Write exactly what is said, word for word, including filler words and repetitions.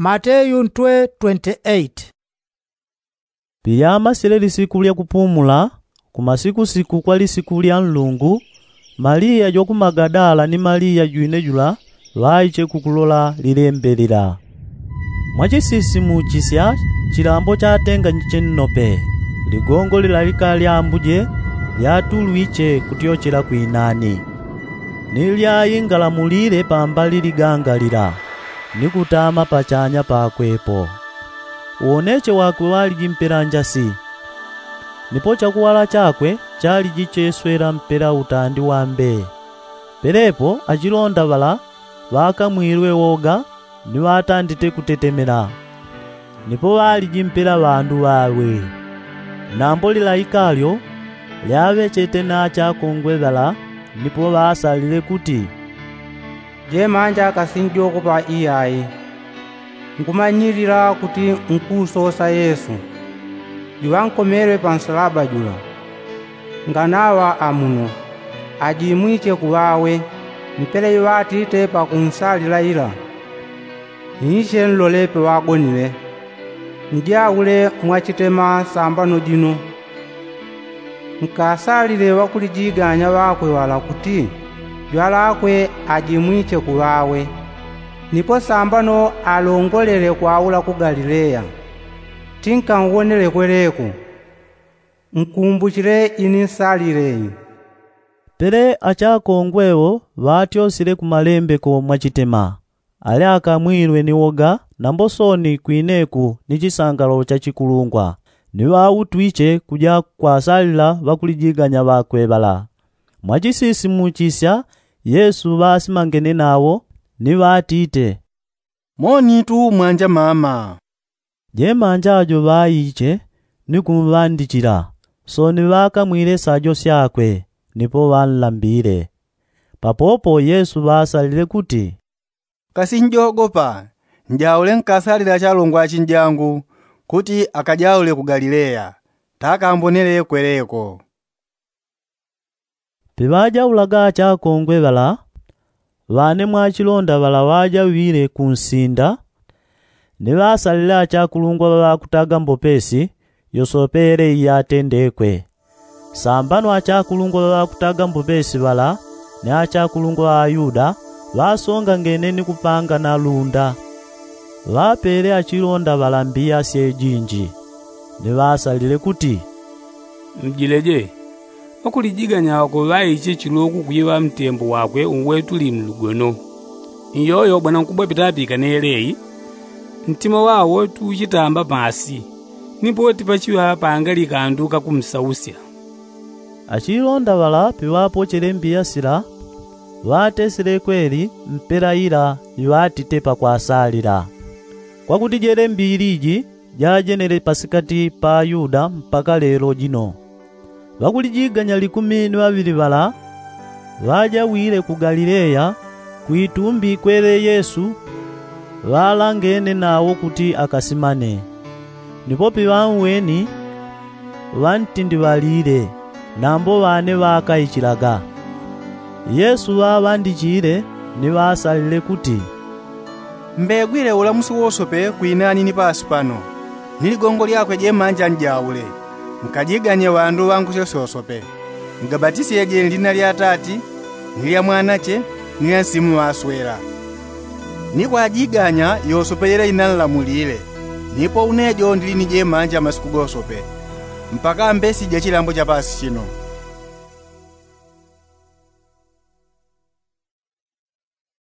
Mateyu ntwe twenty-eight. Piyamasile lisiku lya kupumula, kumasikusiku kwa lisiku lya nlungu, maliya jwa ku magadala ni maliya jwine jula ŵaiche kukulola lilembe lila. Mwachisisimuchisya, chilambo chatenganyiche nnope, ligongo lilalika lyambuje lyatulwiche kutyochela kwinani, ni lyaingalamulile pambali liganga lila, ni kutama pachanya pakwepo. Uwoneche wakwe waliji mpela njasi, nipo chakuwala chakwe chaliji cheswela mpela utandi wa mbee. Pelepo achilonda ŵala ŵakamwilwe woga, ni ŵatandite kutetemela, nipo ŵaliji mpela ŵandu ŵawe. Nambo lilaika lyo lyaŵechete na achakongwe ŵala, nipo ŵasalile kuti, jemanja kasinjogopa iyai. Nkumanyilila kuti nkusosa yesu, juŵankomelwe pa nsalaba jula. Nganaŵa amuno, ajimwiche kuŵawe mpela iŵatite pakunsalila ila. Nyiche nlole peŵagonile, njaule mwachitema sambano jino. Nkasalile ŵakulijiganya ŵakwe ŵala kuti jwalakwe ajimwiche kuŵawe, nipo sambano alongolele kwaula ku galileya. Tinkangonele kweleko. Nkumbuchile ini nsalile. Pele achakongwe wo ŵatyosile ku malembeko mwachitema, ali akamwilwe ni woga nambo sooni kwineku ni chisangalo cha chikulungwa, ni ŵautwiche kuja kwasalila ŵakulijiganya ŵakwe ŵala. Mwachisisimuchisya, yesu ŵasimangene nawo, ni ŵatite, monitu mwanja mama. Jemanja jo ŵaiche, ni kumŵandichila, sooni ŵakamwile sajo syakwe, nipo ŵanlambile. Papopo yesu ŵasalile kuti, kasinjogopa. Njaule nkasalile achalongwa achinjangu, kuti akajaule ku galileya, takambonele kweleko. Piŵajaulaga achakongwe ŵala, ŵane mwachilonda ŵala ŵajaŵile kunsinda, ni ŵasalile achakulungwa ŵaŵakutaga mbopesi, yosope yele iyatendekwe. Sambano achakulungwa ŵaŵakutaga mbopesi ŵala, ni achakulungwa ŵa ayuda, ŵasongangene ni kupangana lunda. Ŵapele achilonda ŵala mbiya syejinji, ni ŵasalile kuti, mjileje. Ŵakulijiganya ŵakwe ŵaiche chiloku kuiŵa mtembo wakwe uwetuli mlugono. Iyoyo bwanankubwa pitapikane yeleyi, ntima wawo tuchitamba pasi, nipo tipachiŵa pangali kandu kakumsausya. Achilonda ŵala piŵapochele mbiya sila, ŵatesele kweli mpela ila iŵatite pakwasalila. Kwakuti jele mbili iji jajenele pasikati pa ayuda mpaka lelo jino. Ŵakulijiganya likumi ni ŵaŵili ŵala, ŵajawile ku galileya, kwitumbi kwele yesu, ŵalangene nawo kuti akasimane. Nipo piŵanweni, ŵantindiŵalile, nambo ŵane ŵakaichilaga. Yesu ŵaŵandichile, ni ŵasalile kuti, mbegwile ulamusi wosope kwinani ni pasi pano, ni ligongo lyakwe jemanja njaule. Nkajiganye ŵandu ŵangusyo syosope, ngabatisyeje nlina lya atati, ni lya mwanache, ni lya nsimu ŵaswela. Ni kwajiganya yosope yele inanlamulile. Nipo une jo ndili ni jemanja masiku gosope, mpaka mbesi ja chilambo cha pasi chino.